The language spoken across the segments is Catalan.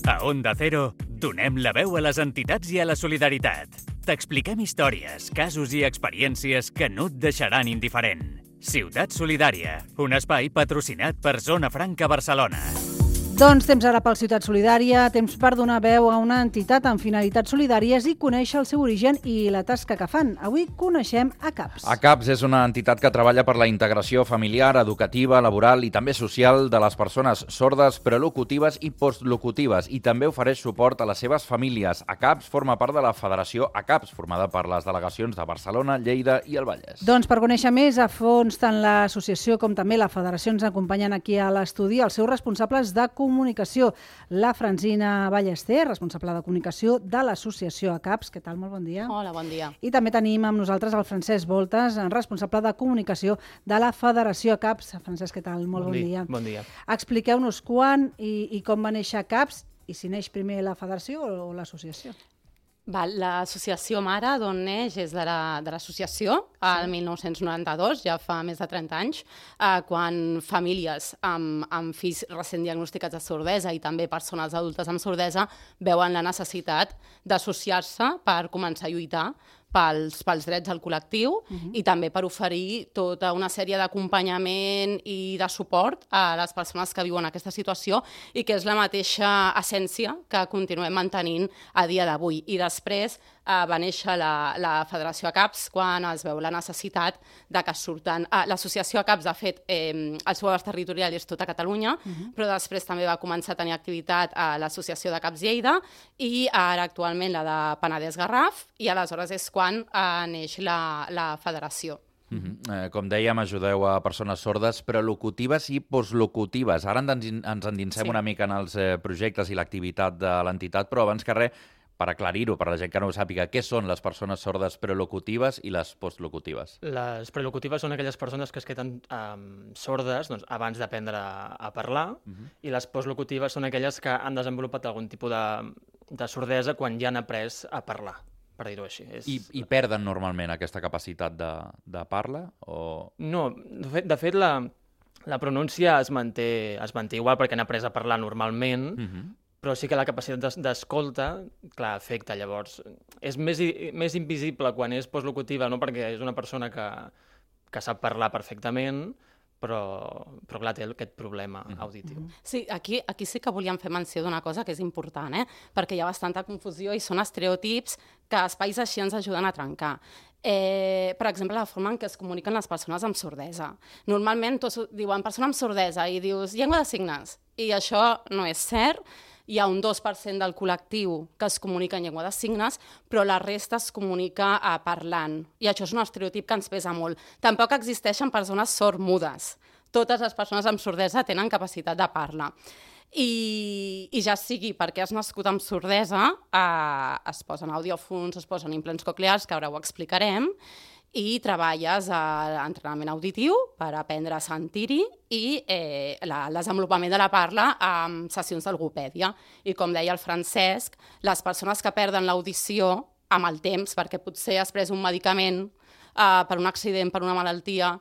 A Onda Cero, donem la veu a les entitats i a la solidaritat. T'expliquem històries, casos i experiències que no et deixaran indiferent. Ciutat Solidària, un espai patrocinat per Zona Franca Barcelona. Doncs temps ara pel Ciutat Solidària, temps per donar veu a una entitat amb finalitats solidàries i conèixer el seu origen i la tasca que fan. Avui coneixem ACAPS. ACAPS és una entitat que treballa per la integració familiar, educativa, laboral i també social de les persones sordes, prelocutives i postlocutives, i també ofereix suport a les seves famílies. ACAPS forma part de la Federació ACAPS, formada per les delegacions de Barcelona, Lleida i el Vallès. Doncs per conèixer més a fons tant l'associació com també la federació ens acompanyen aquí a l'estudi els seus responsables de comunicació. La Francina Ballester, responsable de comunicació de l'associació ACAPS. Què tal? Molt bon dia. Hola, bon dia. I també tenim amb nosaltres el Francesc Voltes, responsable de comunicació de la Federació ACAPS. Francesc, què tal? Molt bon dia. Bon dia. Expliqueu-nos quan i com va néixer ACAPS i si neix primer la federació o l'associació. L'associació mare d'on neix és de l'associació, el 1992, ja fa més de 30 anys, quan famílies amb fills recent diagnosticats de sordesa i també persones adultes amb sordesa veuen la necessitat d'associar-se per començar a lluitar pels drets del col·lectiu i també per oferir tota una sèrie d'acompanyament i de suport a les persones que viuen aquesta situació i que és la mateixa essència que continuem mantenint a dia d'avui. I després va néixer la Federació ACAPS quan es veu la necessitat de que surten... L'associació ACAPS, de fet, el seu abast territorial és tota Catalunya, però després també va començar a tenir activitat a l'associació d'ACAPS Lleida i ara actualment la de Penedès Garraf, i aleshores és quan neix la federació. Com dèiem, ajudeu a persones sordes, prelocutives i postlocutives. Ara ens endinsem una mica en els projectes i l'activitat de l'entitat, però abans que res, per aclarir-ho, per la gent que no ho sàpiga, què són les persones sordes prelocutives i les postlocutives? Les prelocutives són aquelles persones que es queden sordes abans d'aprendre a parlar, i les postlocutives són aquelles que han desenvolupat algun tipus de sordesa quan ja han après a parlar, per dir-ho així. I perden normalment aquesta capacitat de parla? No, de fet la pronúncia es manté igual perquè han après a parlar normalment, però sí que la capacitat d'escolta, clar, afecta. Llavors, és més invisible quan és postlocutiva, no? Perquè és una persona que sap parlar perfectament, però clar, té aquest problema auditiu. Sí, aquí sí que volíem fer menció d'una cosa que és important, perquè hi ha bastanta confusió i són estereotips que espais així ens ajuden a trencar. Per exemple, la forma en què es comuniquen les persones amb sordesa. Normalment tots diuen persona amb sordesa i dius llengua de signes, i això no és cert. Hi ha un 2% del col·lectiu que es comunica en llengua de signes, però la resta es comunica parlant. I això és un estereotip que ens pesa molt. Tampoc existeixen persones sordmudes. Totes les persones amb sordesa tenen capacitat de parla. I ja sigui perquè has nascut amb sordesa, es posen audiòfons, es posen implants coclears, que ara ho explicarem, i treballes a l'entrenament auditiu per aprendre a sentir-hi i el desenvolupament de la parla amb sessions de logopèdia. I com deia el Francesc, les persones que perden l'audició amb el temps, perquè potser has pres un medicament per un accident, per una malaltia,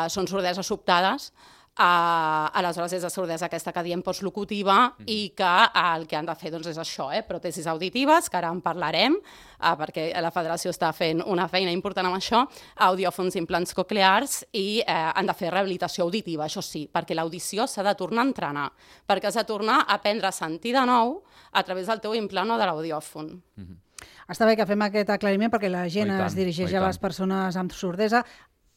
són sordeses sobtades, aleshores és la sordesa aquesta que diem postlocutiva i que el que han de fer és això, pròtesis auditives, que ara en parlarem, perquè la federació està fent una feina important amb això, audiòfons, implants coclears, i han de fer rehabilitació auditiva, això sí, perquè l'audició s'ha de tornar a entrenar, perquè has de tornar a aprendre a sentir de nou a través del teu implant o de l'audiòfon. Està bé que fem aquest aclariment perquè la gent es dirigeix a les persones amb sordesa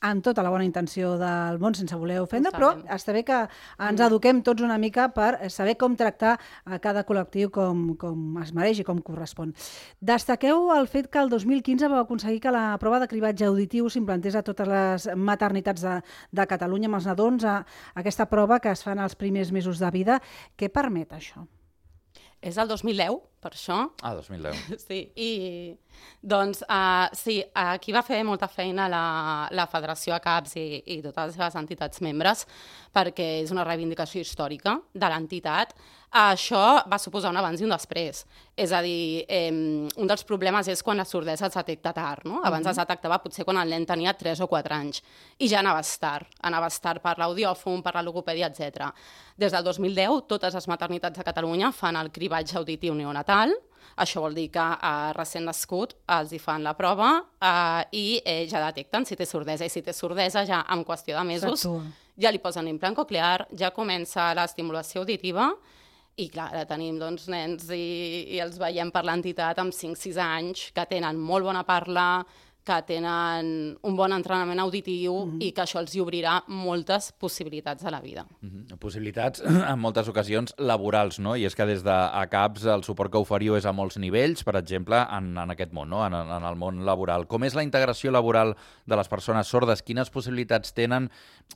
amb tota la bona intenció del món, sense voler ofendre, però està bé que ens eduquem tots una mica per saber com tractar a cada col·lectiu com es mereix i com correspon. Destaqueu el fet que el 2015 vau aconseguir que la prova de cribatge auditiu s'implantés a totes les maternitats de Catalunya amb els nadons, aquesta prova que es fan els primers mesos de vida. Què permet això? És el 2010, per això. 2010. Sí, i doncs sí, aquí va fer molta feina la Federació ACAPS i totes les seves entitats membres perquè és una reivindicació històrica de l'entitat. Això va suposar un abans i un després. És a dir, un dels problemes és quan la sordesa es detecta tard, no? Abans es detectava potser quan el nen tenia 3 o 4 anys, i ja anaves tard per l'audiòfon, per la logopèdia, etc. Des del 2010, totes les maternitats de Catalunya fan el cribatge auditiu neonatal. Això vol dir que recent nascut els hi fan la prova i ja detecten si té sordesa. I si té sordesa, ja en qüestió de mesos, ja li posen l'implant coclear, ja comença l'estimulació auditiva. I clar, ara tenim nens i els veiem per l'entitat amb 5-6 anys que tenen molt bona parla, que tenen un bon entrenament auditiu i que això els hi obrirà moltes possibilitats a la vida. Possibilitats, en moltes ocasions, laborals, no? I és que des d'ACAPS el suport que oferiu és a molts nivells, per exemple, en aquest món, no? En el món laboral. Com és la integració laboral de les persones sordes? Quines possibilitats tenen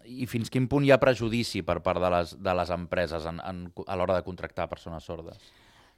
i fins quin punt hi ha prejudici per part de les empreses a l'hora de contractar persones sordes?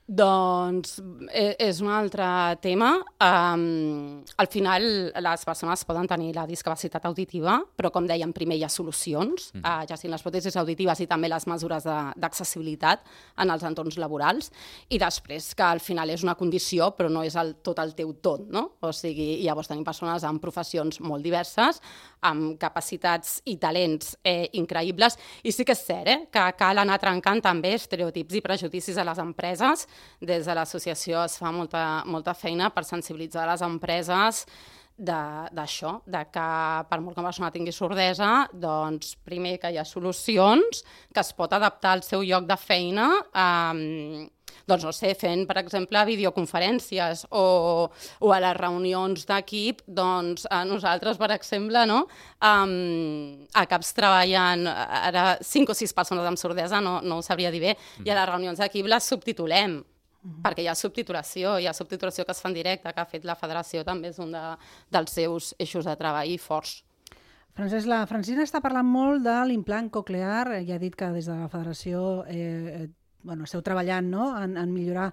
Doncs és un altre tema. Al final les persones poden tenir la discapacitat auditiva, però com dèiem, primer hi ha solucions, ja siguin les pròtesis auditives i també les mesures d'accessibilitat en els entorns laborals, i després que al final és una condició però no és tot el teu tot, no? O sigui, llavors tenim persones amb professions molt diverses, amb capacitats i talents increïbles, i sí que és cert que cal anar trencant també estereotips i prejudicis a les empreses. Des de l'associació es fa molta feina per sensibilitzar les empreses d'això, de que per molt que una persona tingui sordesa, doncs primer que hi ha solucions, que es pot adaptar al seu lloc de feina, doncs no sé, fent, per exemple, videoconferències o a les reunions d'equip, doncs nosaltres, per exemple, no, a CAPS treballen ara 5 o 6 persones amb sordesa, no ho sabria dir bé, i a les reunions d'equip les subtitulem, perquè hi ha subtitulació que es fa en directe, que ha fet la federació, també és un dels seus eixos de treball forts. Francesc, la Francina està parlant molt de l'implant coclear, ja ha dit que des de la federació esteu treballant, no?, en millorar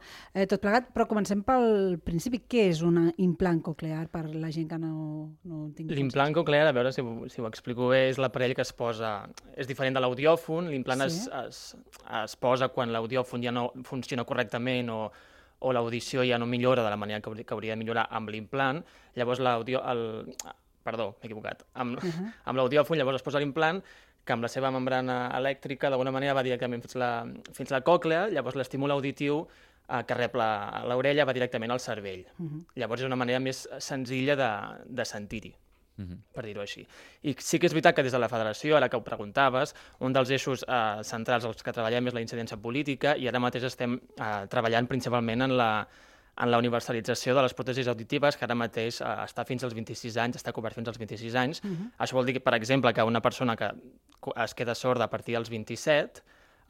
tot plegat, però comencem pel principi. Què és un implant coclear per la gent que no tingui... L'implant coclear, a veure si ho explico bé, és l'aparell que es posa... És diferent de l'audiòfon, l'implant es posa quan l'audiòfon ja no funciona correctament o l'audició ja no millora de la manera que hauria de millorar amb l'implant. Llavors Perdó, m'he equivocat. Amb l'audiòfon llavors es posa l'implant que amb la seva membrana elèctrica d'alguna manera va directament fins la còclea, llavors l'estímul auditiu que rep l'orella va directament al cervell. Llavors és una manera més senzilla de sentir-hi, per dir-ho així. I sí que és veritat que des de la federació, ara que ho preguntaves, un dels eixos centrals als que treballem és la incidència política i ara mateix estem treballant principalment en la universalització de les pròtesis auditives, que ara mateix està fins als 26 anys, està cobert fins als 26 anys. Això vol dir, per exemple, que una persona que es queda sorda a partir dels 27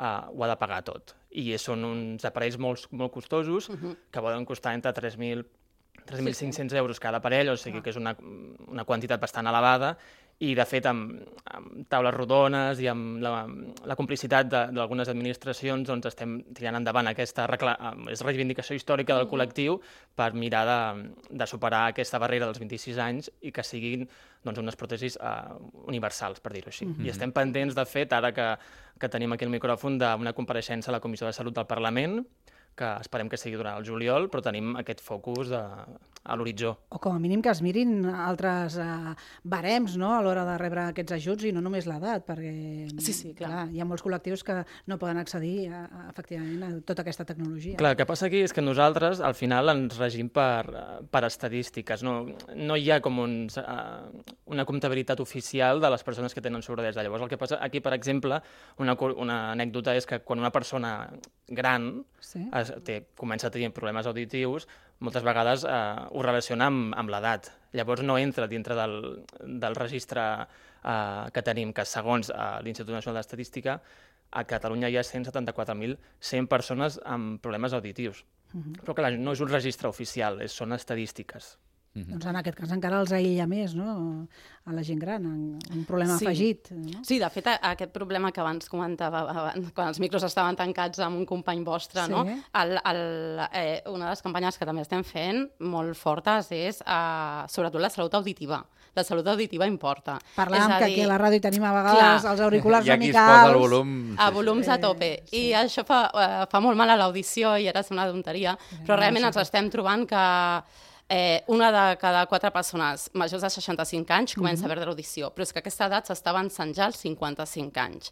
ho ha de pagar tot. I són uns aparells molt costosos que poden costar entre 3.500 euros cada aparell, o sigui que és una quantitat bastant elevada, i de fet amb taules rodones i amb la complicitat d'algunes administracions doncs estem tirant endavant aquesta reivindicació històrica del col·lectiu per mirar de superar aquesta barrera dels 26 anys i que siguin unes pròtesis universals, per dir-ho així. I estem pendents, de fet, ara que tenim aquí el micròfon, d'una compareixença a la Comissió de Salut del Parlament, que esperem que sigui durant el juliol, però tenim aquest focus a l'horitzó. O com a mínim que es mirin altres barems, no?, a l'hora de rebre aquests ajuts i no només l'edat, perquè sí, clar, hi ha molts col·lectius que no poden accedir efectivament a tota aquesta tecnologia. Clar, el que passa aquí és que nosaltres al final ens regim per estadístiques. No hi ha com una comptabilitat oficial de les persones que tenen sordesa. Llavors el que passa aquí, per exemple, una anècdota és que quan una persona gran comença a tenir problemes auditius, moltes vegades ho relaciona amb l'edat. Llavors no entra dintre del registre que tenim, que segons l'Institut Nacional d'Estadística, a Catalunya hi ha 174.100 persones amb problemes auditius. Però clar, no és un registre oficial, són estadístiques. Doncs en aquest cas encara els aïlla més, no?, a la gent gran, un problema afegit. No? Sí, de fet, aquest problema que abans comentava, quan els micros estaven tancats amb un company vostre, no? Una de les campanyes que també estem fent molt fortes és sobretot la salut auditiva. La salut auditiva importa. Parlàvem que aquí a la ràdio tenim a vegades els auriculars amicals. I aquí es posa el volum... A volums a tope. I això fa molt mal a l'audició i ara sembla una tonteria, però realment ens estem trobant que una de cada 4 persones majors de 65 anys comença a perdre l'audició, però és que aquesta edat s'està avançant ja als 55 anys.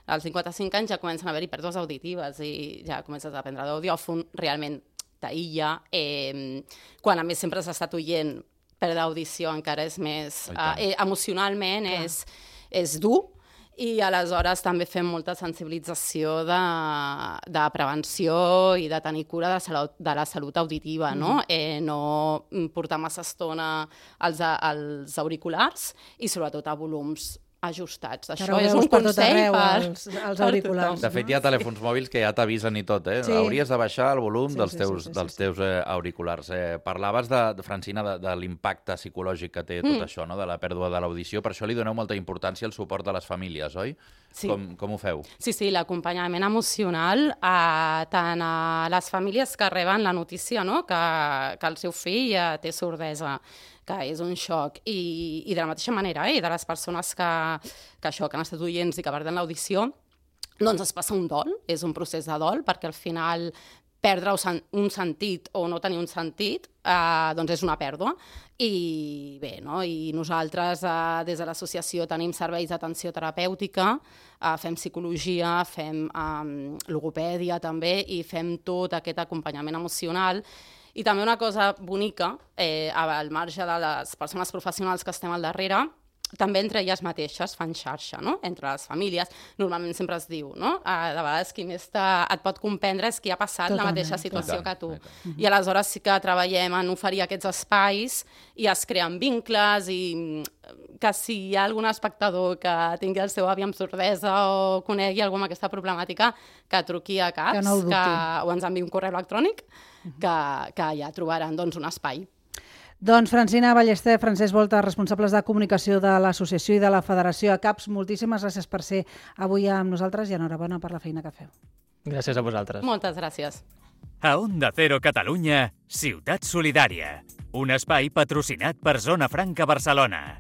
Als 55 anys ja comencen a haver-hi pèrdues auditives i ja comences a prendre d'audiòfon, realment t'aïlla. Quan a més sempre has estat oient, perdre audició encara és més... emocionalment és dur. I aleshores també fem molta sensibilització de prevenció i de tenir cura de la salut auditiva, no? No portar massa estona als auriculars i sobretot a volums ajustats. Això és un consell als auriculars. De fet, hi ha telèfons mòbils que ja t'avisen i tot, eh? Hauries de baixar el volum dels teus auriculars. Parlaves, Francina, de l'impacte psicològic que té tot això, no?, de la pèrdua de l'audició. Per això li doneu molta importància al suport de les famílies, oi? Sí. Com ho feu? Sí, l'acompanyament emocional tant a les famílies que reben la notícia, no?, que el seu fill té sordesa, que és un xoc, i de la mateixa manera, i de les persones que han estat oients i que perden l'audició, doncs es passa un dol, és un procés de dol, perquè al final perdre un sentit o no tenir un sentit, doncs és una pèrdua. I bé, no? I nosaltres des de l'associació tenim serveis d'atenció terapèutica, fem psicologia, fem logopèdia també, i fem tot aquest acompanyament emocional. I també una cosa bonica, al marge de les persones professionals que estem al darrere, també entre elles mateixes fan xarxa, no?, entre les famílies. Normalment sempre es diu, no?, de vegades qui més et pot comprendre és qui ha passat la mateixa situació que tu. I aleshores sí que treballem en oferir aquests espais i es creen vincles, i que si hi ha algun espectador que tingui el seu avi amb sordesa o conegui algú amb aquesta problemàtica, que truqui a CAPS o ens enviï un correu electrònic, que ja trobaran un espai. Doncs Francina Ballester, Francesc Volta, responsables de comunicació de l'associació i de la Federació CAPS, moltíssimes gràcies per ser avui amb nosaltres i enhorabona per la feina que feu. Gràcies a vosaltres. Moltes gràcies. A Onda Cero Catalunya, Ciutat Solidària, un espai patrocinat per Zona Franca Barcelona.